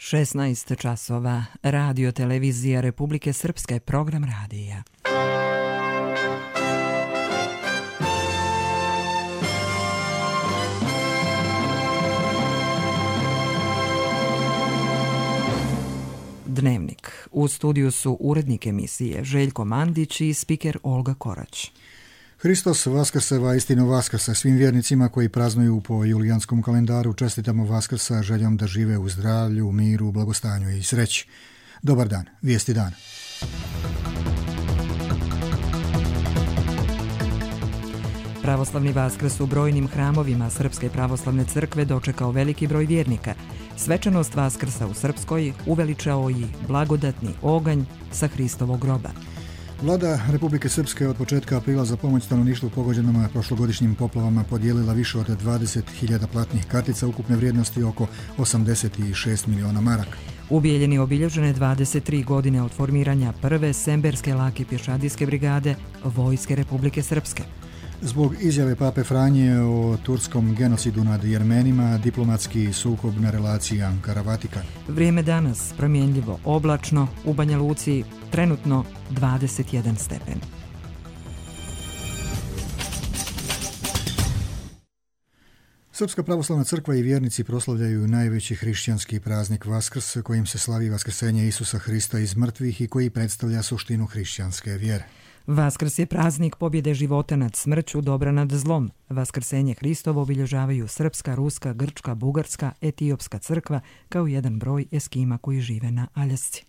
16 časova. Radio televizija Republike Srpske, program radija. Dnevnik. U studiju su urednik emisije Željko Mandić i spiker Olga Korać. Hristos Vaskrseva, istino Vaskrsa. Svim vjernicima koji praznuju po julijanskom kalendaru čestitamo Vaskrsa željom da žive u zdravlju, miru, blagostanju i sreći. Dobar dan, vijesti dana. Pravoslavni Vaskrs u brojnim hramovima Srpske pravoslavne crkve dočekao veliki broj vjernika. Svečanost Vaskrsa u Srpskoj uveličao i blagodatni oganj sa Hristovog groba. Vlada Republike Srpske od početka aprila za pomoć stanovništvu pogođenom prošlogodišnjim poplavama podijelila više od 20.000 platnih kartica ukupne vrijednosti oko 86 miliona maraka. U Bijeljini obilježene 23 godine od formiranja prve Semberske lake pješadijske brigade Vojske Republike Srpske. Zbog izjave Pape Franje o turskom genocidu nad Jermenima, diplomatski sukob na relaciji Ankara-Vatikan. Vrijeme danas promjenljivo oblačno, u Banja Luci trenutno 21 stepen. Srpska pravoslavna crkva i vjernici proslavljaju najveći hrišćanski praznik Vaskrs, kojim se slavi vaskrsenje Isusa Hrista iz mrtvih i koji predstavlja suštinu hrišćanske vjere. Vaskrs je praznik pobjede života nad smrću, dobra nad zlom. Vaskrsenje Hristovo obilježavaju srpska, ruska, grčka, bugarska, etiopska crkva kao jedan broj Eskima koji žive na Aljasci.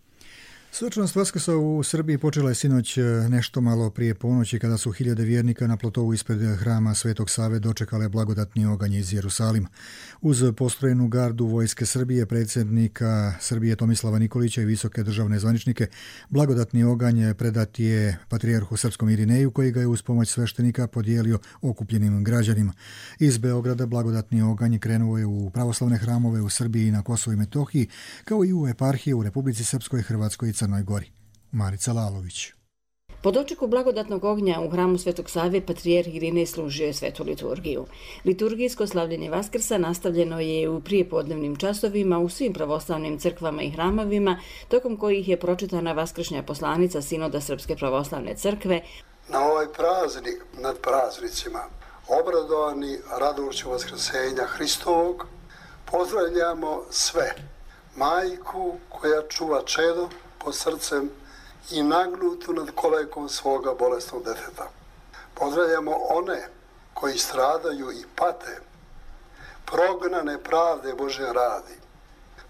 Svečanost Vaskrsa u Srbiji počela je sinoć nešto malo prije ponoći kada su hiljade vjernika na platovu ispred hrama Svetog Save dočekale blagodatni oganj iz Jerusalima. Uz postrojenu gardu Vojske Srbije, predsjednika Srbije Tomislava Nikolića i visoke državne zvaničnike, blagodatni oganj predat je patrijarhu srpskom Irineju koji ga je uz pomoć sveštenika podijelio okupljenim građanima. Iz Beograda blagodatni oganj krenuo je u pravoslavne hramove u Srbiji i na Kosovu i Metohiji, kao i u eparhije u Republici Srpskoj, Hrvatskoj i Crnoj Gori. Marica Lalović. Po dočeku blagodatnog ognja u hramu Svetog Save patrijarh Irinej služio je svetu liturgiju. Liturgijsko slavljenje Vaskrsa nastavljeno je u prijepodnevnim časovima u svim pravoslavnim crkvama i hramovima, tokom kojih je pročitana vaskršnja poslanica Sinoda Srpske pravoslavne crkve. Na ovaj praznik nad praznicima, obradovani radošću vaskrsenja Hristovog, pozdravljamo sve. Majku koja čuva čedo pod srcem i nagnutu nad kolekom svoga bolesnog deteta. Pozdravljamo one koji stradaju i pate, prognane pravde Bože radi.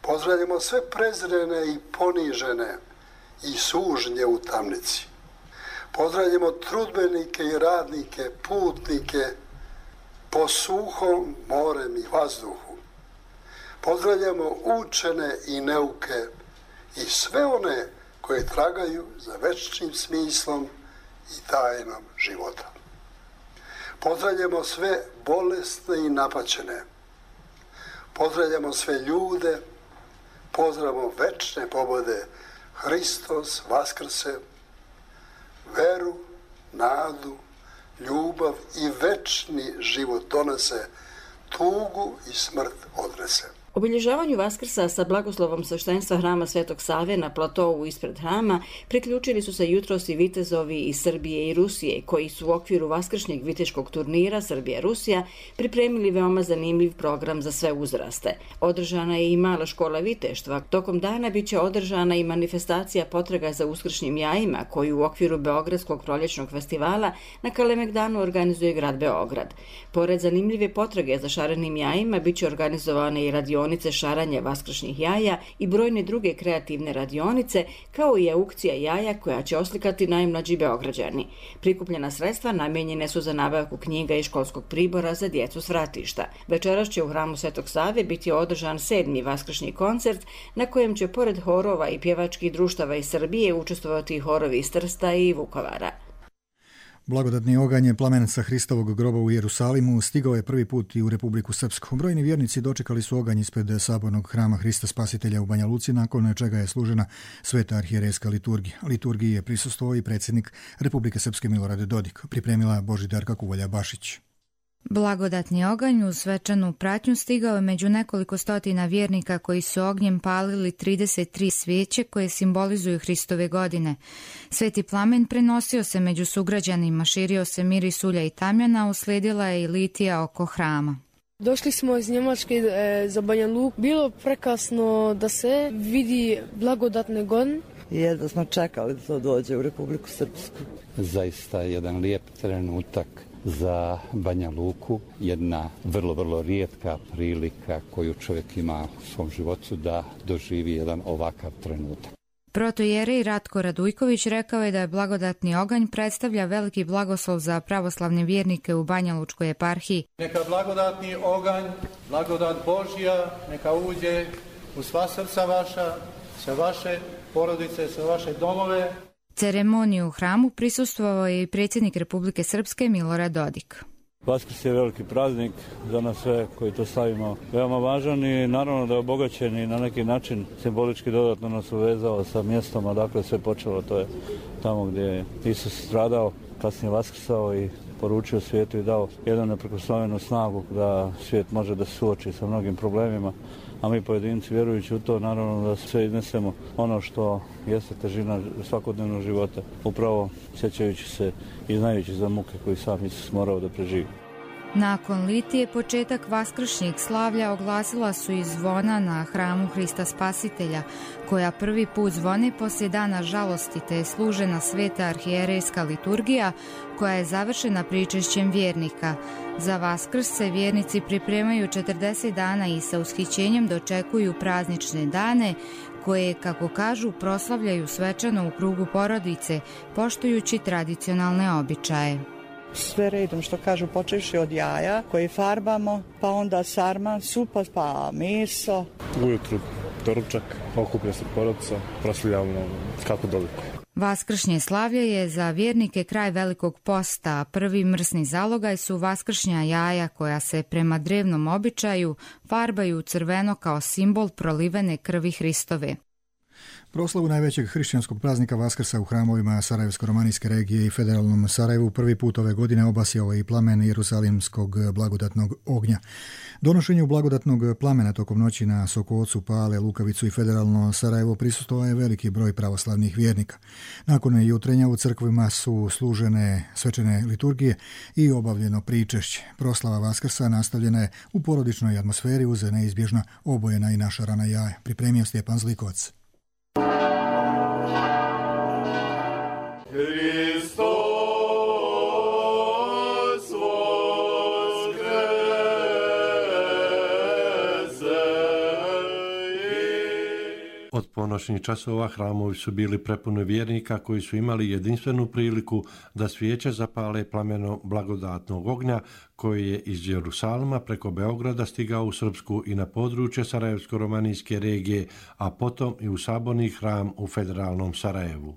Pozdravljamo sve prezrene i ponižene i sužnje u tamnici. Pozdravljamo trudbenike i radnike, putnike po suhom, morem i vazduhu. Pozdravljamo učene i neuke i sve one koje tragaju za večnim smislom i tajnom života. Pozdravljamo sve bolesne i napaćene. Pozdravljamo sve ljude. Pozdravljamo večne pobode. Hristos Vaskrse, veru, nadu, ljubav i večni život donese, tugu i smrt odnese. Obilježavanju Vaskrsa sa blagoslovom sveštenstva hrama Svetog Save na platovu ispred hrama priključili su se jutros i vitezovi iz Srbije i Rusije, koji su u okviru vaskršnjeg viteškog turnira Srbija-Rusija pripremili veoma zanimljiv program za sve uzraste. Održana je i mala škola viteštva. Tokom dana biće održana i manifestacija potraga za uskršnjim jajima, koju u okviru Beogradskog proljećnog festivala na Kalemegdanu organizuje grad Beograd. Pored zanimljive potrage za šarenim jajima, biće organizovane i radionice šaranja vaskršnjih jaja i brojne druge kreativne radionice, kao i aukcija jaja koja će oslikati najmlađi Beograđani. Prikupljena sredstva namijenjene su za nabavku knjiga i školskog pribora za djecu s vratišta. Večeras će u hramu Svetog Save biti održan 7. vaskršnji koncert, na kojem će pored horova i pjevačkih društava iz Srbije učestvovati horovi iz Trsta i Vukovara. Blagodatni oganj plamen sa Hristovog groba u Jerusalimu stigao je prvi put i u Republiku Srpsku. Brojni vjernici dočekali su oganj ispred sabornog hrama Hrista Spasitelja u Banja Luci, nakon čega je služena sveta arhijerejska liturgija. Liturgiji je prisustvovao i predsjednik Republike Srpske Milorad Dodik, pripremila Božidarka Kuvolja Bašić. Blagodatni oganj uz svečanu pratnju stigao je među nekoliko stotina vjernika koji su ognjem palili 33 svijeće koje simbolizuju Hristove godine. Sveti plamen prenosio se među sugrađanima, širio se miris ulja i tamjana, uslijedila je i litija oko hrama. Došli smo iz Njemačke za Banja Luku. Bilo prekasno da se vidi blagodatni oganj. Jedva smo čekali da to dođe u Republiku Srpsku. Zaista jedan lijep trenutak za Banja Luku, jedna vrlo rijetka prilika koju čovjek ima u svom životu da doživi jedan ovakav trenutak. Protojerej Ratko Radujković rekao je da je blagodatni oganj predstavlja veliki blagoslov za pravoslavne vjernike u Banjalučkoj eparhiji. Neka blagodatni oganj, blagodat Božja, neka uđe u sva srca vaša, sve vaše porodice, sve vaše domove. Ceremoniju u hramu prisustvovao je i predsjednik Republike Srpske Milorad Dodik. Vaskrs je veliki praznik za nas sve koji to slavimo. Veoma važan i naravno da je obogaćen i na neki način simbolički dodatno nas uvezao sa mjestom, a dakle sve počelo, to je tamo gdje je Isus stradao, kasnije vaskrsao i poručio svijetu i dao jednu neprikosnovenu snagu da svijet može da se suoči sa mnogim problemima, a mi pojedinci vjerujući u to naravno da sve iznesemo ono što jeste težina svakodnevnog života, upravo sjećajući se i znajući za muke koji sam Isus morao da preživi. Nakon litije početak vaskršnjeg slavlja oglasila su i zvona na hramu Hrista Spasitelja, koja prvi put zvone poslije dana žalosti, te je služena sveta arhijerejska liturgija koja je završena pričešćem vjernika. Za Vaskrs se vjernici pripremaju 40 dana i sa ushićenjem dočekuju praznične dane koje, kako kažu, proslavljaju svečano u krugu porodice, poštujući tradicionalne običaje. Sve redom, što kažu, počevši od jaja koje farbamo, pa onda sarma, supa, pa meso. Ujutru doručak, okuplja se porodica, proslavljamo kako doliko. Vaskršnje slavlje je za vjernike kraj Velikog posta, a prvi mrsni zalogaj su vaskršnja jaja koja se prema drevnom običaju farbaju crveno kao simbol prolivene krvi Hristove. Proslavu najvećeg hrišćanskog praznika Vaskrsa u hramovima Sarajevsko-romanijske regije i federalnom Sarajevu prvi put ove godine obasjao i plamen Jerusalimskog blagodatnog ognja. Donošenju blagodatnog plamena tokom noći na Sokocu, Pale, Lukavicu i federalno Sarajevo prisustvovao je veliki broj pravoslavnih vjernika. Nakon jutrenja u crkvima su služene svečane liturgije i obavljeno pričešće. Proslava Vaskrsa nastavljena je u porodičnoj atmosferi uz neizbježna obojena i našarana jaja. Pripremio Stjepan Zlikovac. Od ponoćnih časova hramovi su bili prepuni vjernika koji su imali jedinstvenu priliku da svijeće zapale plamenom blagodatnog ognja koji je iz Jerusalima preko Beograda stigao u Srpsku i na područje Sarajevsko-romanijske regije, a potom i u saborni hram u federalnom Sarajevu.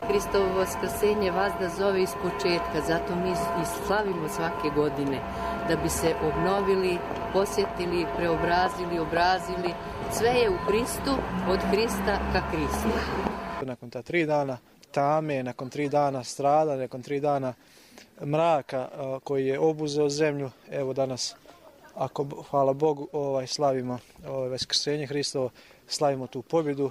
Hristovo vaskrsenje vas da zove iz početka, zato mi i slavimo svake godine, da bi se obnovili, posjetili, preobrazili, obrazili. Sve je u Hristu, od Hrista ka Hristu. Nakon ta 3 dana tame, nakon 3 dana strada, nakon 3 dana mraka koji je obuzeo zemlju, evo danas, hvala Bogu, slavimo vaskrsenje Hristovo, slavimo tu pobjedu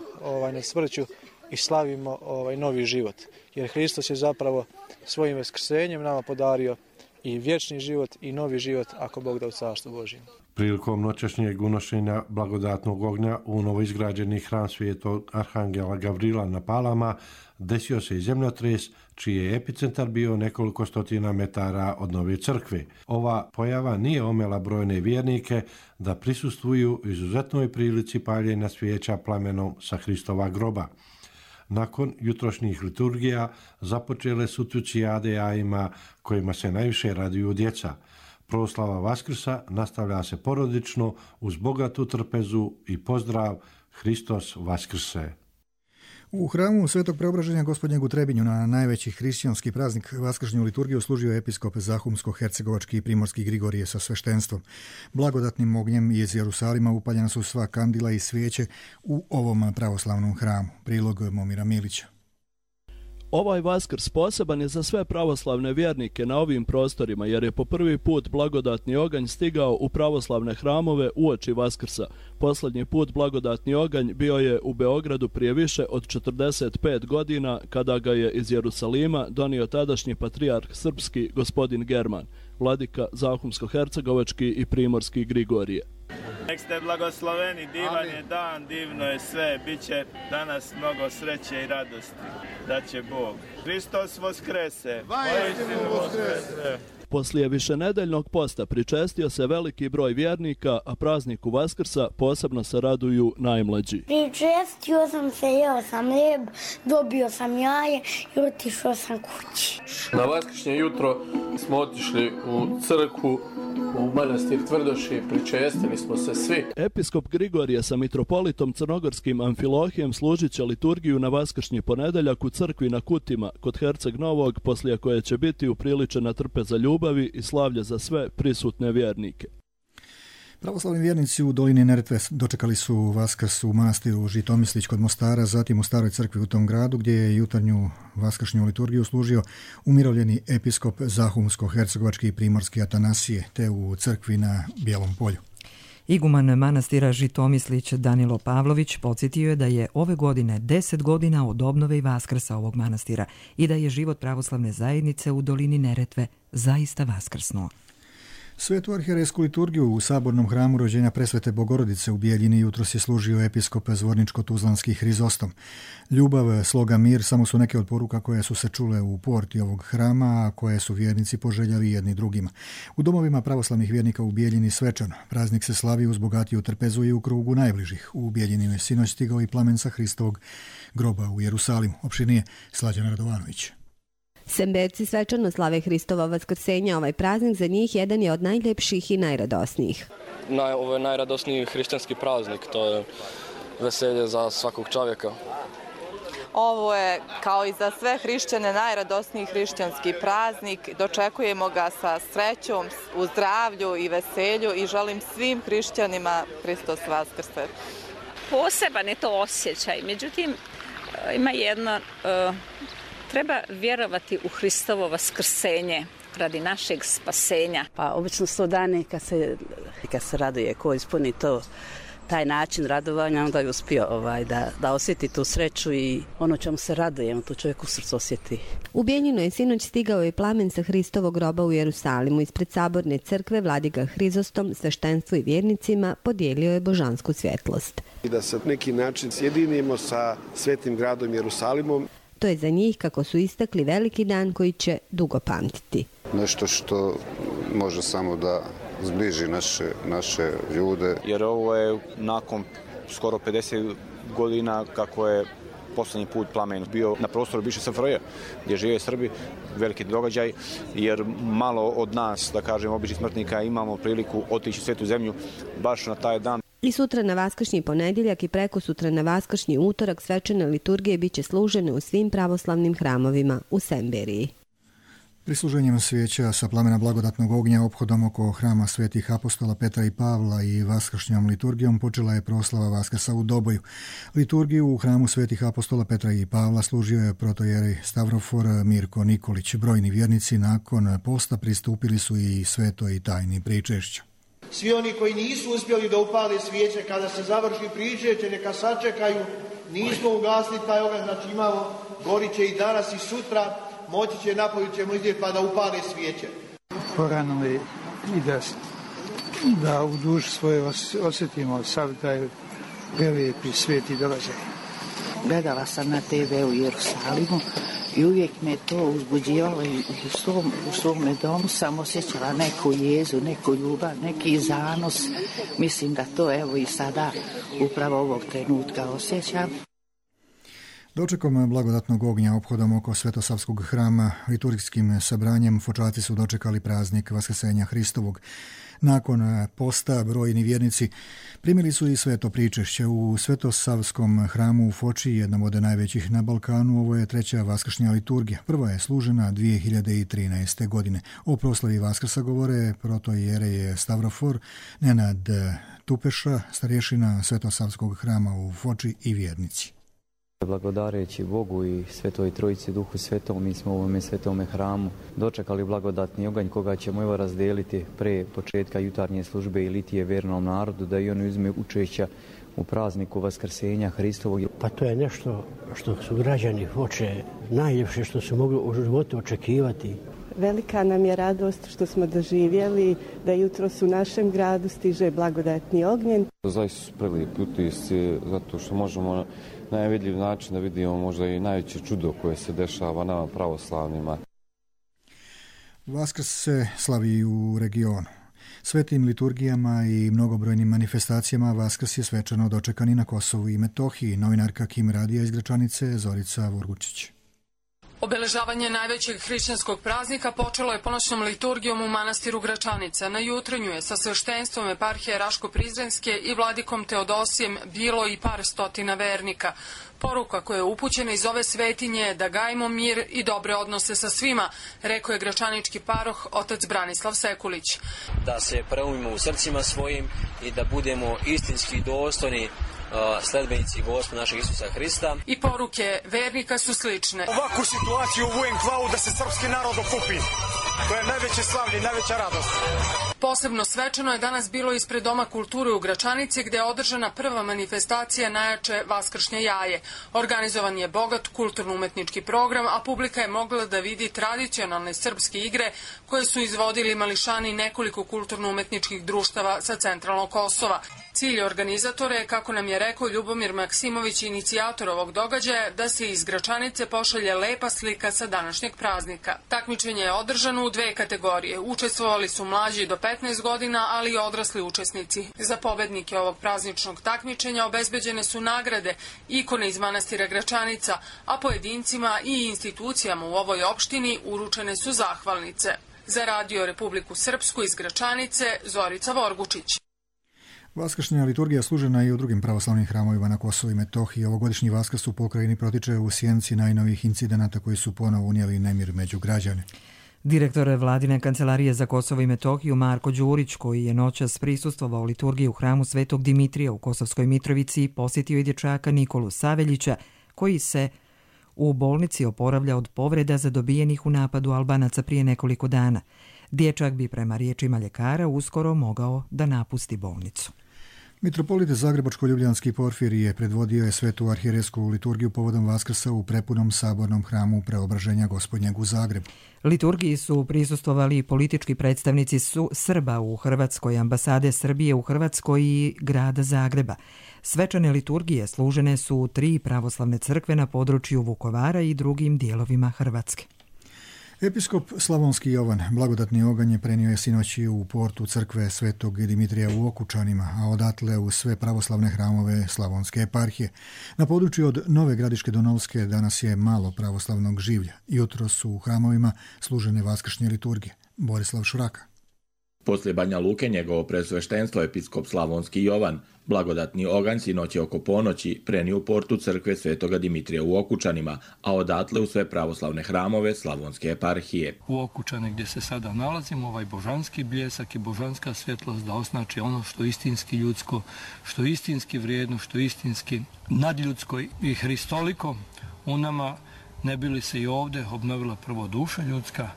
nad smrću i slavimo novi život. Jer Hristos je zapravo svojim vaskrsenjem nama podario i vječni život i novi život, ako Bog da, u Carstvu Božjem. Prilikom noćašnjeg unošenja blagodatnog ognja u novoizgrađeni hram Svetog Arhangela Gavrila na Palama desio se i zemljotres, čiji je epicentar bio nekoliko stotina metara od nove crkve. Ova pojava nije omela brojne vjernike da prisustvuju izuzetnoj prilici paljenja svijeća plamenom sa Hristova groba. Nakon jutrošnjih liturgija započele su tucijade jajima kojima se najviše raduju djeca. Proslava Vaskrsa nastavlja se porodično uz bogatu trpezu i pozdrav Hristos Vaskrse. U hramu Svetog Preobraženja Gospodnjeg u Trebinju na najveći hrišćanski praznik vaskršnju liturgiju služio episkop Zahumsko-hercegovački i primorski Grigorije sa sveštenstvom. Blagodatnim ognjem iz Jerusalima upaljena su sva kandila i svijeće u ovom pravoslavnom hramu. Prilog Momira Milića. Ovaj Vaskrs poseban je za sve pravoslavne vjernike na ovim prostorima jer je po prvi put blagodatni oganj stigao u pravoslavne hramove uoči Vaskrsa. Posljednji put blagodatni oganj bio je u Beogradu prije više od 45 godina kada ga je iz Jerusalima donio tadašnji patrijarh srpski gospodin German, vladika Zahumsko-hercegovački i primorski Grigorije. Nek ste blagosloveni, divan je dan, divno je sve, bit će danas mnogo sreće i radosti, da će Bog. Hristos voskrese, vajstinu voskrese. Poslije višenedeljnog posta pričestio se veliki broj vjernika, a prazniku Vaskrsa posebno se raduju najmlađi. Pričestio sam se, jeo sam lijeb, dobio sam jaje i otišao sam kući. Na vaskršnje jutro smo otišli u crkvu, u manastir Tvrdoši, pričestili smo se svi. Episkop Grigorije sa mitropolitom crnogorskim Amfilohijem služit će liturgiju na vaskršnji ponedeljak u crkvi na Kutima kod Herceg Novog, poslije koje će biti upriličena trpeza ljubavi i slavlje za sve prisutne vjernike. Pravoslavni vjernici u dolini Neretve dočekali su Vaskrs u manastiru Žitomislić kod Mostara, zatim u staroj crkvi u tom gradu gdje je jutarnju vaskršnju liturgiju služio umirovljeni episkop Zahumsko-hercegovački i primorski Atanasije, te u crkvi na Bijelom polju. Iguman manastira Žitomislić Danilo Pavlović podsjetio je da je ove godine 10 godina od obnove i Vaskrsa ovog manastira i da je život pravoslavne zajednice u dolini Neretve zaista vaskrsnuo. Svetu arhijerejsku liturgiju u sabornom hramu rođenja Presvete Bogorodice u Bijeljini jutros je služio episkop Zvorničko-Tuzlanski Hrizostom. Ljubav, sloga, mir samo su neke od poruka koje su se čule u porti ovog hrama, a koje su vjernici poželjeli jedni drugima. U domovima pravoslavnih vjernika u Bijeljini svečano. Praznik se slavi uz bogatiju trpezu i u krugu najbližih. U Bijeljini je sinoć stigao i plamen sa Hristovog groba u Jerusalimu. Opširnije Slađana Radovanović. Semberci svečano slave Hristova vaskrsenja. Ovaj praznik za njih jedan je od najljepših i najradosnijih. Ovo je najradosniji hrišćanski praznik, to je veselje za svakog čovjeka. Ovo je, kao i za sve hrišćane, najradosniji hrišćanski praznik. Dočekujemo ga sa srećom, u zdravlju i veselju i želim svim hrišćanima Hristos vaskrse. Poseban je to osjećaj, međutim ima jedno... Treba vjerovati u Hristovo vaskrsenje radi našeg spasenja. Pa obično 100 dana kad se raduje, ko ispuni taj način radovanja, onda je uspio da osjeti tu sreću i ono čemu se raduje, to čovjek u srcu osjeti. U Bijeljinu je sinoć stigao i plamen sa Hristovog groba u Jerusalimu. Ispred saborne crkve vladika Hrizostom sveštenstvu i vjernicima podijelio je božansku svjetlost. I da se na neki način sjedinimo sa svetim gradom Jerusalimom. To je za njih, kako su istakli, veliki dan koji će dugo pamtiti. Nešto što može samo da zbliži naše ljude. Jer ovo je nakon skoro 50 godina kako je posljednji put plamen bio na prostoru bivše SFRJ gdje žive Srbi, veliki događaj, jer malo od nas, da kažem, običnih smrtnika imamo priliku otići u svetu zemlju baš na taj dan. I sutra na vaskršnji ponedjeljak i preko sutra na vaskršnji utorak svečane liturgije bit će služene u svim pravoslavnim hramovima u Semberiji. Prisluženjem svijeća sa plamena blagodatnog ognja ophodom oko hrama svetih apostola Petra i Pavla i vaskršnjom liturgijom počela je proslava Vaskrsa u Doboju. Liturgiju u hramu svetih apostola Petra i Pavla služio je protojerej Stavrofor Mirko Nikolić. Brojni vjernici nakon posta pristupili su i svetoj tajni pričešća. Svi oni koji nisu uspjeli da upale svijeće kada se završi pričešće, neka sačekaju, nismo ugasli taj oganj, znači imamo, gorit će i danas i sutra, moći će, napolju ćemo izdjeti pa da upale svijeće. Porano je i da u duši svoje osjetimo sav taj prelijepi sveti događaj. Gledala sam na TV u Jerusalimu i uvijek me to uzbuđivalo i u svome domu sam osjećala neku jezu, neku ljubav, neki zanos. Mislim da to evo i sada upravo ovog trenutka osjećam. Dočekom blagodatnog ognja ophodom oko Svetosavskog hrama liturgijskim sabranjem fočaci su dočekali praznik Vaskrsenja Hristovog. Nakon posta brojni vjernici primili su i sveto pričešće u Svetosavskom hramu u Foči, jednom od najvećih na Balkanu. Ovo je treća vaskršnja liturgija. Prva je služena 2013. godine. O proslavi Vaskrsa govore protojerej Stavrofor Nenad Tupeša, starješina Svetosavskog hrama u Foči i vjernici. Blagodareći Bogu i Svetoj Trojici Duhu Svetom, mi smo u ovome svetome hramu dočekali blagodatni oganj koga ćemo evo razdeliti pre početka jutarnje službe i litije vernom narodu da i oni uzme učešća u prazniku Vaskrsenja Hristovog. Pa to je nešto što su građani hoće najljepše što su mogli u životu očekivati. Velika nam je radost što smo doživjeli da jutros u našem gradu stiže blagodatni ognjen. Zaista su prelijepi utisci zato što možemo na najvidljiv način da vidimo možda i najveće čudo koje se dešava nama pravoslavnima. Vaskrs se slavi u regionu. Svetim liturgijama i mnogobrojnim manifestacijama Vaskrs je svečano dočekan i na Kosovu i Metohiji. Novinarka Kim Radija iz Gračanice, Zorica Vorgučić. Obeležavanje najvećeg hrišćanskog praznika počelo je ponoćnom liturgijom u manastiru Gračanica. Na jutrenju je sa sveštenstvom eparhije Raško-Prizrenske i vladikom Teodosijem bilo i par stotina vernika. Poruka koja je upućena iz ove svetinje je da gajimo mir i dobre odnose sa svima, rekao je gračanički paroh otac Branislav Sekulić. Da se preumimo u srcima svojim i da budemo istinski dostojni sledbenici Gospoda našeg Isusa Hrista. I poruke vernika su slične. Ovakvu situaciju vujem glavu da se srpski narod okupi. To je najveće slavlje i najveća radost. Posebno svečano je danas bilo ispred Doma kulture u Gračanici gde je održana prva manifestacija najjače Vaskršnje jaje. Organizovan je bogat kulturno-umetnički program, a publika je mogla da vidi tradicionalne srpske igre koje su izvodili mališani nekoliko kulturno-umetničkih društava sa centralnog Kosova. Cilj organizatora je, kako nam je rekao Ljubomir Maksimović, inicijator ovog događaja, da se iz Gračanice pošalje lepa slika sa današnjeg praznika. Takmičenje je održano u dve kategorije. Učestvovali su mlađi do 15 godina, ali i odrasli učesnici. Za pobednike ovog prazničnog takmičenja obezbeđene su nagrade, ikone iz manastira Gračanica, a pojedincima i institucijama u ovoj opštini uručene su zahvalnice. Za Radio Republiku Srpsku iz Gračanice, Zorica Vorgučić. Vaskršnja liturgija služena i u drugim pravoslavnim hramovima na Kosovu i Metohiji. Ovogodišnji Vaskrs u pokrajini protiče u sjenci najnovijih incidenata koji su ponovo unijeli nemir među građane. Direktor Vladine kancelarije za Kosovo i Metohiju Marko Đurić, koji je noćas prisustvovao liturgiji u hramu Svetog Dimitrija u Kosovskoj Mitrovici, posjetio je dječaka Nikolu Saveljića, koji se u bolnici oporavlja od povreda zadobijenih u napadu Albanaca prije nekoliko dana. Dječak bi prema riječima ljekara uskoro mogao da napusti bolnicu. Mitropolit Zagrebačko-Ljubljanski Porfirije predvodio je svetu arhijerejsku liturgiju povodom Vaskrsa u prepunom sabornom hramu Preobraženja Gospodnjeg u Zagrebu. Liturgiji su prisustvovali politički predstavnici Srba u Hrvatskoj, ambasade Srbije u Hrvatskoj i grada Zagreba. Svečane liturgije služene su u 3 pravoslavne crkve na području Vukovara i drugim dijelovima Hrvatske. Episkop Slavonski Jovan blagodatni oganj prenio je sinoći u portu crkve Svetog Dimitrija u Okučanima, a odatle u sve pravoslavne hramove Slavonske eparhije. Na području od Nove Gradiške do Novske danas je malo pravoslavnog življa. Jutros su u hramovima služene vaskršnje liturgije. Borislav Šuraka. Poslije Banja Luke njegovo presveštenstvo episkop Slavonski Jovan blagodatni oganj sinoć je oko ponoći prenio u portu crkve Svetoga Dimitrija u Okučanima, a odatle u sve pravoslavne hramove Slavonske eparhije. U Okučane gdje se sada nalazimo, ovaj božanski bljesak i božanska svjetlost da osnači ono što istinski ljudsko, što istinski vrijedno, što istinski nadljudsko i hristoliko u nama, ne bi li se i ovdje obnovila prvo duša ljudska,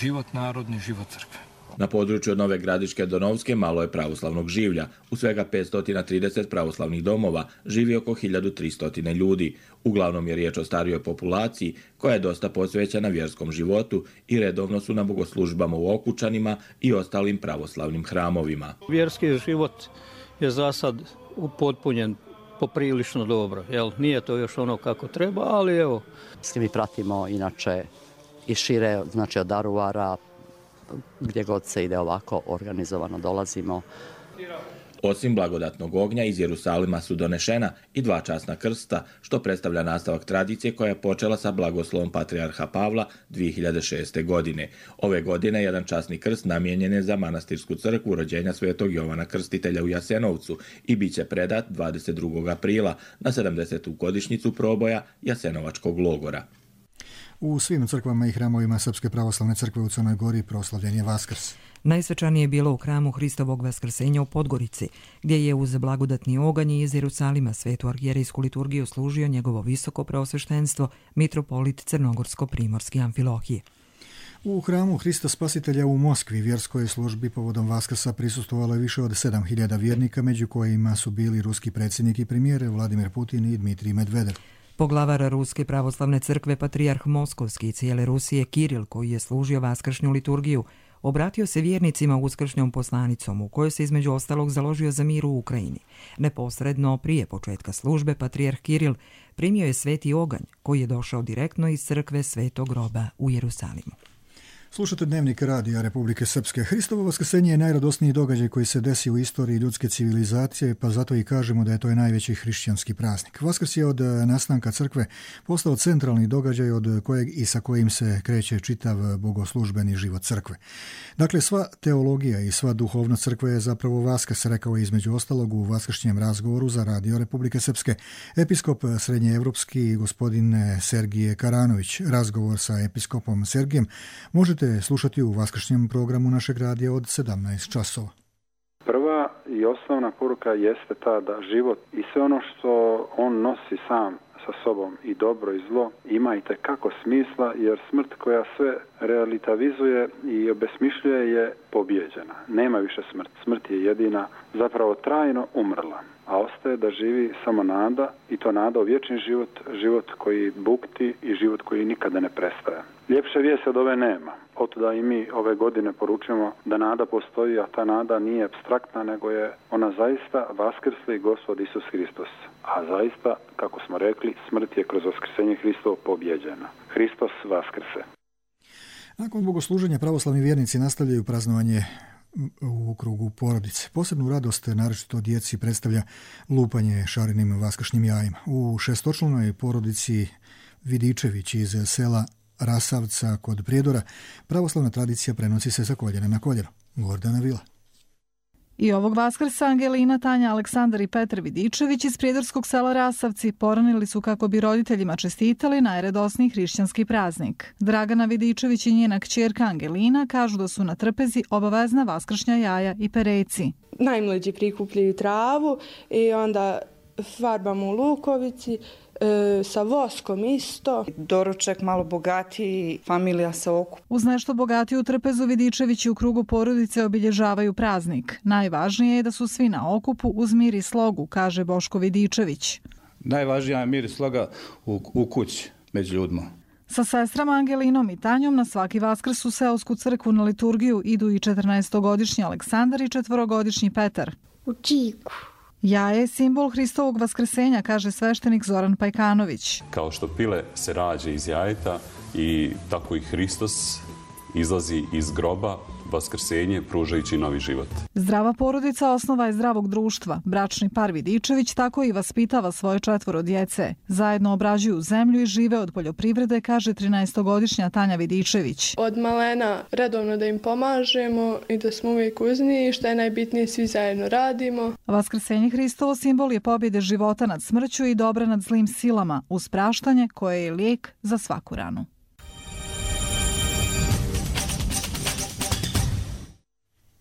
život narodni, život crkve. Na području od Nove Gradiške do Novske malo je pravoslavnog življa. U svega 530 pravoslavnih domova živi oko 1300 ljudi. Uglavnom je riječ o starijoj populaciji koja je dosta posvećena vjerskom životu i redovno su na bogoslužbama u Okučanima i ostalim pravoslavnim hramovima. Vjerski život je za sad upotpunjen poprilično dobro. Nije to još ono kako treba, ali evo. Mi pratimo inače i šire, znači od Daruvara, gdje god se ide ovako organizovano dolazimo. Osim blagodatnog ognja iz Jerusalima su donešena i 2 časna krsta, što predstavlja nastavak tradicije koja je počela sa blagoslovom patrijarha Pavla 2006. godine. Ove godine jedan časni krst namijenjen je za manastirsku crkvu rođenja Svetog Jovana Krstitelja u Jasenovcu i bit će predat 22. aprila na 70. godišnjicu proboja Jasenovačkog logora. U svim crkvama i hramovima Srpske pravoslavne crkve u Crnoj Gori proslavljen je Vaskrs. Najsvečanije je bilo u hramu Hristovog vaskrsenja u Podgorici, gdje je uz blagodatni oganj iz Jerusalima svetu arhijerejsku liturgiju služio njegovo visoko preosveštenstvo mitropolit Crnogorsko-primorski Amfilohije. U hramu Hrista Spasitelja u Moskvi vjerskoj službi povodom Vaskrsa prisustvovalo je više od 7.000 vjernika, među kojima su bili ruski predsjednik i premijer Vladimir Putin i Dmitrij Medvedev. Poglavar Ruske pravoslavne crkve, patrijarh Moskovski i cijele Rusije Kiril, koji je služio vaskršnju liturgiju, obratio se vjernicima uskršnjom poslanicom u kojoj se između ostalog založio za mir u Ukrajini. Neposredno prije početka službe patrijarh Kiril primio je sveti oganj koji je došao direktno iz crkve Svetog groba u Jerusalimu. Slušate Dnevnik radija Republike Srpske. Hristovo vaskrsenje je najradosniji događaj koji se desi u istoriji ljudske civilizacije, pa zato i kažemo da je to najveći hrišćanski praznik. Vaskrs je od nastanka crkve postao centralni događaj od kojeg i sa kojim se kreće čitav bogoslužbeni život crkve. Dakle, sva teologija i sva duhovnost crkve je zapravo Vaskrs, rekao je između ostalog u vaskršnjem razgovoru za radio Republike Srpske episkop srednjeevropski gospodin Sergije Karanović. Razgovor sa episkopom Sergijem možete slušati u vaskršnjem programu našeg radija od 17 časova. Prva i osnovna poruka jeste ta da život i sve ono što on nosi sam sa sobom, i dobro i zlo, ima i tekako smisla, jer smrt koja sve relativizuje i obesmišljuje je pobjeđena. Nema više smrt. Smrt je jedina, zapravo trajno umrla. A ostaje da živi samo nada, i to nada u vječni život, život koji bukti i život koji nikada ne prestaje. Ljepše vijesti od ove nema. Otuda i mi ove godine poručujemo da nada postoji, a ta nada nije apstraktna, nego je ona zaista vaskrsli Gospod Isus Hristos. A zaista, kako smo rekli, smrt je kroz vaskrsenje Hristovo pobjeđena. Hristos vaskrse. Nakon bogosluženja pravoslavni vjernici nastavljaju praznovanje u krugu porodice. Posebnu radost naročito djeci predstavlja lupanje šarenim vaskršnjim jajima. U šestočlanoj porodici Vidičević iz sela Rasavca kod Prijedora pravoslavna tradicija prenosi se sa koljena na koljeno. Gordana Vila. I ovog Vaskrsa Angelina, Tanja, Aleksandar i Petar Vidičević iz prijedorskog sela Rasavci poranili su kako bi roditeljima čestitali najradosniji hrišćanski praznik. Dragana Vidičević i njena kćerka Angelina kažu da su na trpezi obavezna vaskršnja jaja i pereci. Najmlađi prikupljaju travu i onda farbamo u lukovici, sa voskom isto. Doručak malo bogatiji, familija se okupa. Uz nešto bogatiju trpezu Vidičevići u krugu porodice obilježavaju praznik. Najvažnije je da su svi na okupu uz mir i slogu, kaže Boško Vidičević. Najvažnija je mir i sloga u kući među ljudima. Sa sestrama Angelinom i Tanjom na svaki Vaskrs u seosku crkvu na liturgiju idu i 14-godišnji Aleksandar i 4-godišnji Petar. U Čiku. Jaje je simbol Hristovog vaskrsenja, kaže sveštenik Zoran Pajkanović. Kao što pile se rađe iz jajeta, i tako i Hristos izlazi iz groba, vaskrsenje pružajući novi život. Zdrava porodica osnova je zdravog društva. Bračni par Vidičević tako i vaspitava svoje 4 djece. Zajedno obrađuju zemlju i žive od poljoprivrede, kaže 13-godišnja Tanja Vidičević. Od malena redovno da im pomažemo i da smo uvijek uz njih, što je najbitnije, svi zajedno radimo. Vaskrsenje Hristovo simbol je pobjede života nad smrću i dobra nad zlim silama, uz praštanje koje je lijek za svaku ranu.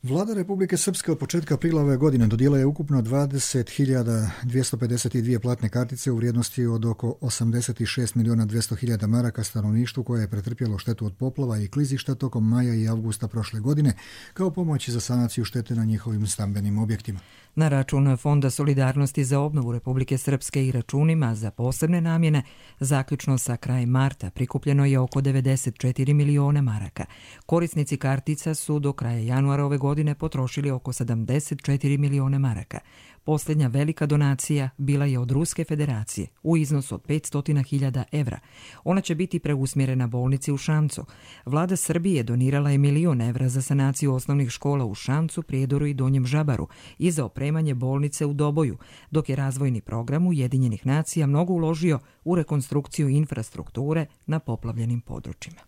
Vlada Republike Srpske od početka aprila ove godine dodijelila je ukupno 20.252 platne kartice u vrijednosti od oko 86.200.000 maraka stanovništvu koje je pretrpjelo štetu od poplava i klizišta tokom maja i avgusta prošle godine kao pomoć za sanaciju štete na njihovim stambenim objektima. Na račun Fonda solidarnosti za obnovu Republike Srpske i računima za posebne namjene, zaključno sa krajem marta prikupljeno je oko 94 miliona maraka. Korisnici kartica su do kraja januara ove godine potrošili oko 74 miliona maraka. Posljednja velika donacija bila je od Ruske federacije u iznosu od 500.000 evra. Ona će biti preusmjerena bolnici u Šamcu. Vlada Srbije donirala je 1 milion evra za sanaciju osnovnih škola u Šamcu, Prijedoru i Donjem Žabaru i za opremanje bolnice u Doboju, dok je razvojni program Ujedinjenih nacija mnogo uložio u rekonstrukciju infrastrukture na poplavljenim područjima.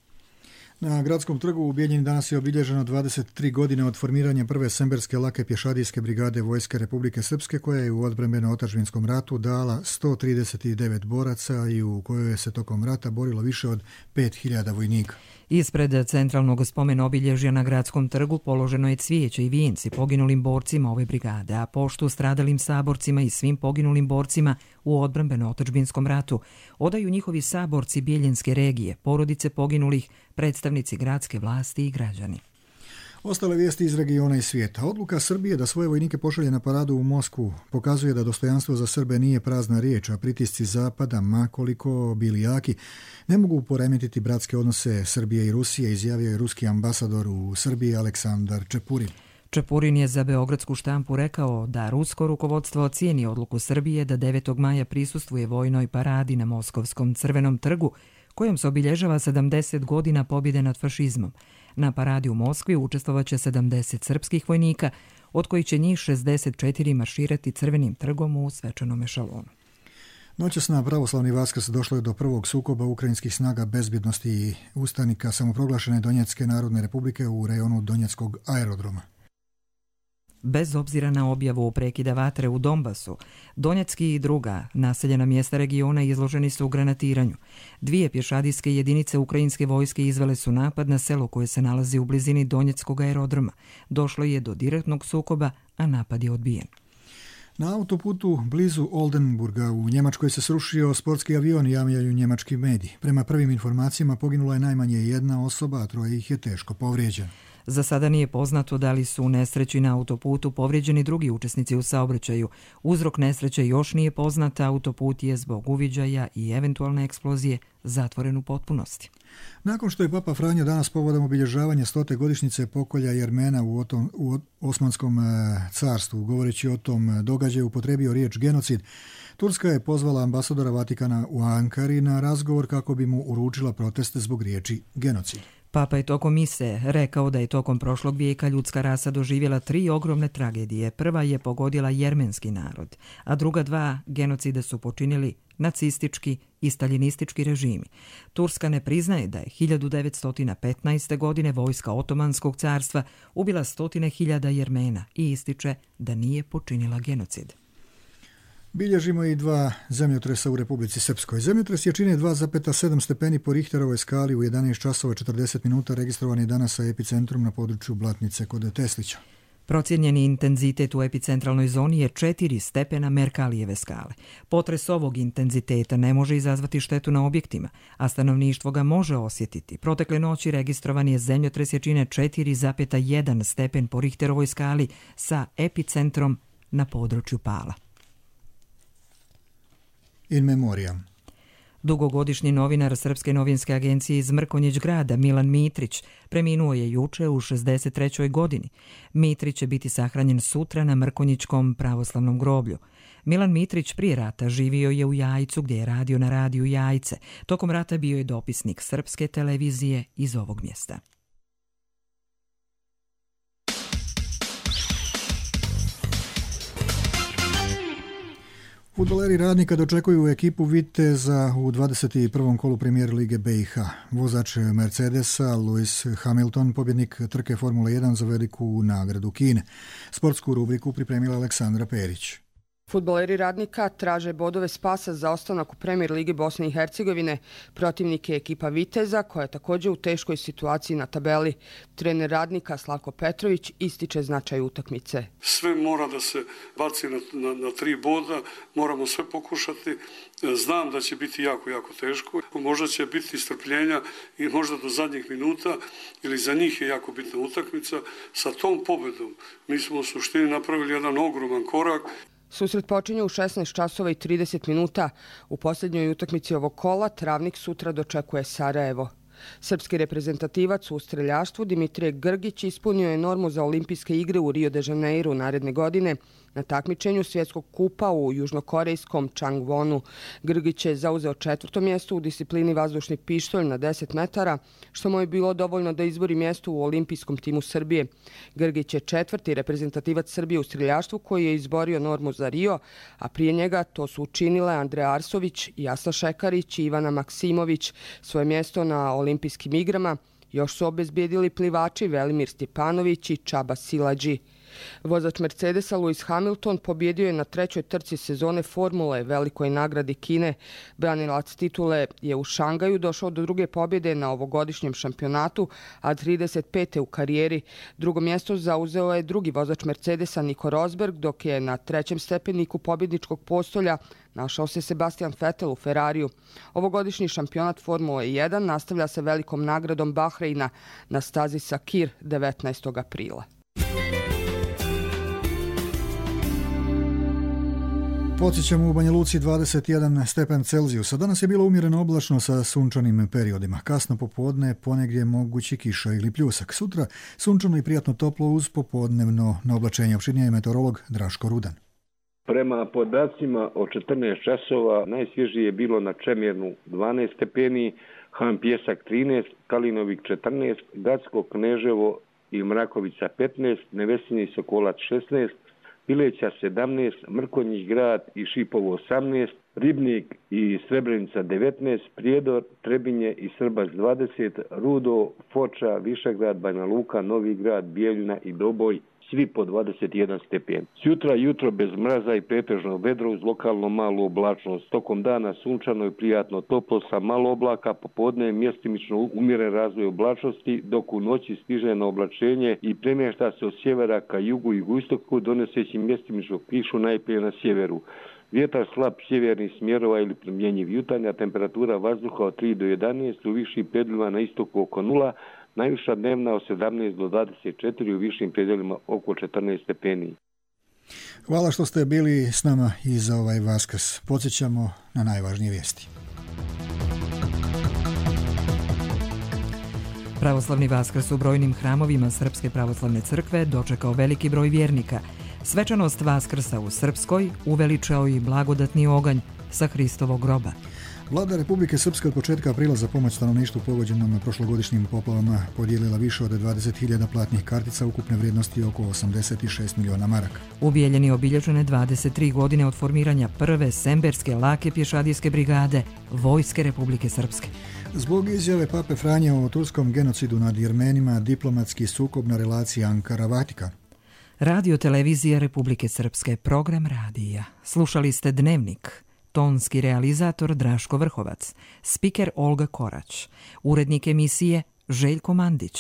Na Gradskom trgu u Bijeljini danas je obilježeno 23 godine od formiranja prve semberske lake pješadijske brigade Vojske Republike Srpske, koja je u odbrambeno-otadžbinskom ratu dala 139 boraca i u kojoj se tokom rata borilo više od 5.000 vojnika. Ispred centralnog spomen obilježja na Gradskom trgu položeno je cvijeće i vijenci poginulim borcima ove brigade, a poštu stradalim saborcima i svim poginulim borcima u odbrambeno-otadžbinskom ratu odaju njihovi saborci Bijeljinske regije, porodice poginulih, predstavnici gradske vlasti i građani. Ostale vijesti iz regiona i svijeta. Odluka Srbije da svoje vojnike pošalje na paradu u Moskvu pokazuje da dostojanstvo za Srbe nije prazna riječ, a pritisci Zapada, ma koliko bili jaki, ne mogu poremetiti bratske odnose Srbije i Rusije, izjavio je ruski ambasador u Srbiji Aleksandar Čepurin. Čepurin je za beogradsku štampu rekao da rusko rukovodstvo ocijeni odluku Srbije da 9. maja prisustvuje vojnoj paradi na Moskovskom crvenom trgu, kojom se obilježava 70 godina pobjede nad fašizmom. Na paradi u Moskvi učestvovaće 70 srpskih vojnika, od kojih će njih 64 marširati crvenim trgom u svečanom ešalonu. Noćas na pravoslavni Vaskrs došlo je do prvog sukoba ukrajinskih snaga bezbjednosti i ustanika samoproglašene Donjecke narodne republike u rejonu Donjeckog aerodroma. Bez obzira na objavu prekida vatre u Donbasu, Donjecki i druga naseljena mjesta regiona izloženi su u granatiranju. 2 pješadijske jedinice ukrajinske vojske izvele su napad na selo koje se nalazi u blizini Donjeckog aerodroma. Došlo je do direktnog sukoba, a napad je odbijen. Na autoputu blizu Oldenburga u Njemačkoj se srušio sportski avion, javljaju njemački mediji. Prema prvim informacijama poginula je najmanje 1 osoba, a 3 ih je teško povrijeđeno. Za sada nije poznato da li su u nesreći na autoputu povrijeđeni drugi učesnici u saobraćaju. Uzrok nesreće još nije poznat, autoput je zbog uviđaja i eventualne eksplozije zatvoren u potpunosti. Nakon što je Papa Franjo danas povodom obilježavanja 100. godišnjice pokolja Jermena u Osmanskom carstvu, govoreći o tom događaju, upotrebio riječ genocid, Turska je pozvala ambasadora Vatikana u Ankari na razgovor kako bi mu uručila proteste zbog riječi genocid. Papa je tokom mise rekao da je tokom prošlog vijeka ljudska rasa doživjela 3 ogromne tragedije. Prva je pogodila jermenski narod, a druga 2 genocide su počinili nacistički i staljinistički režimi. Turska ne priznaje da je 1915. godine vojska Otomanskog carstva ubila 100.000 Jermena i ističe da nije počinila genocid. Bilježimo i 2 zemljotresa u Republici Srpskoj. Zemljotres jačine 2,7 stepeni po Richterovoj skali u 11 časova 40 minuta registrovan je danas sa epicentrom na području Blatnice kod Teslića. Procijenjeni intenzitet u epicentralnoj zoni je 4 stepena Merkalijeve skale. Potres ovog intenziteta ne može izazvati štetu na objektima, a stanovništvo ga može osjetiti. Protekle noći registrovan je zemljotres jačine 4,1 stepen po Richterovoj skali sa epicentrom na području Pala. In memoriam. Dugogodišnji novinar Srpske novinske agencije iz Mrkonjić grada Milan Mitrić preminuo je juče u 63. godini. Mitrić će biti sahranjen sutra na Mrkonjićkom pravoslavnom groblju. Milan Mitrić prije rata živio je u Jajcu gdje je radio na radiju Jajce. Tokom rata bio je dopisnik Srpske televizije iz ovog mjesta. Fudbaleri Radnika dočekuju ekipu Viteza u 21. kolu Premier Lige BiH. Vozač Mercedesa Lewis Hamilton, pobjednik trke Formule 1 za veliku nagradu Kine. Sportsku rubriku pripremila Aleksandra Perić. Fudbaleri Radnika traže bodove spasa za ostanak u Premier Ligi Bosne i Hercegovine. Protivnik je ekipa Viteza, koja je također u teškoj situaciji na tabeli. Trener Radnika Slavko Petrović ističe značaj utakmice. Sve mora da se baci na 3 boda, moramo sve pokušati. Znam da će biti jako teško. Možda će biti strpljenja i možda do zadnjih minuta, ili za njih je jako bitna utakmica. Sa tom pobedom mi smo u suštini napravili jedan ogroman korak. Susret počinje u 16 časova i 30 minuta. U posljednjoj utakmici ovog kola Travnik sutra dočekuje Sarajevo. Srpski reprezentativac u streljaštvu Dimitrije Grgić ispunio je normu za olimpijske igre u Rio de Janeiro naredne godine na takmičenju svjetskog kupa u južnokorejskom Changwonu. Grgić je zauzeo 4. mjesto u disciplini vazdušni pištolj na 10 metara, što mu je bilo dovoljno da izbori mjesto u olimpijskom timu Srbije. Grgić je 4. reprezentativac Srbije u streljaštvu koji je izborio normu za Rio, a prije njega to su učinile Andreja Arsović, Jasna Šekarić i Ivana Maksimović. Svoje mjesto na olimpijskim igrama još su obezbijedili plivači Velimir Stjepanović i Čaba Silađi. Vozač Mercedesa Lewis Hamilton pobjedio je na 3. trci sezone Formule, velikoj nagradi Kine. Branilac titule je u Šangaju došao do druge pobjede na ovogodišnjem šampionatu, a 35. u karijeri. Drugo mjesto zauzeo je drugi vozač Mercedesa Nico Rosberg, dok je na 3. stepeniku pobjedničkog postolja našao se Sebastian Vettel u Ferrariju. Ovogodišnji šampionat Formule 1 nastavlja se velikom nagradom Bahreina na stazi Sakir 19. aprila. Podsjećamo u Banja Luci 21 stepen Celzijusa. Danas je bilo umjereno oblačno sa sunčanim periodima. Kasno popodne ponegdje mogući kiša ili pljusak. Sutra sunčano i prijatno toplo uz popodnevno naoblačenje. Opširnije je meteorolog Draško Rudan. Prema podacima od 14 časova najsvježije je bilo na Čemirnu 12 stepeni, Han Pjesak 13, Kalinovik 14, Gacko, Kneževo i Mrakovica 15, Nevesinje i Sokolac 16, Pileća 17, Mrkonjić grad i Šipovo 18, Ribnik i Srebrenica 19, Prijedor, Trebinje i Srbac 20, Rudo, Foča, Višegrad, Banja Luka, Novi grad, Bijeljina i Doboj, svi po 21 stepen. Sjutra jutro bez mraza i pretežno vedro uz lokalno malu oblačnost. Tokom dana sunčano i prijatno toplo sa malo oblaka, popodne mjestimično umjeren razvoj oblačnosti, dok u noći stiže na oblačenje i premješta se od sjevera ka jugu i jugoistoku, donoseći mjestimičnu kišu najprije na sjeveru. Vjetar slab sjevernih smjerova ili promjenjiv jutarnja, temperatura vazduha od 3 do 11, u višim predjelima na istoku oko 0, najviša dnevna od 17 do 24, u višim predjelima oko 14 stepeni. Hvala što ste bili s nama i za ovaj Vaskrs. Podsjećamo na najvažnije vijesti. Pravoslavni Vaskrs u brojnim hramovima Srpske pravoslavne crkve dočekao veliki broj vjernika. Svečanost Vaskrsa u Srpskoj uveličao i blagodatni oganj sa Hristovog groba. Vlada Republike Srpske od početka aprila za pomoć stanovništvu pogođenom prošlogodišnjim poplavama podijelila više od 20.000 platnih kartica ukupne vrijednosti oko 86 miliona maraka. U Bijeljini obilježene 23 godine od formiranja prve semberske lake pješadijske brigade Vojske Republike Srpske. Zbog izjave Pape Franje o turskom genocidu nad Jermenima, diplomatski sukob na relaciji Ankara-Vatikan. Radio televizija Republike Srpske, program radija. Slušali ste Dnevnik. Tonski realizator Draško Vrhovac, spiker Olga Korać, urednik emisije Željko Mandić.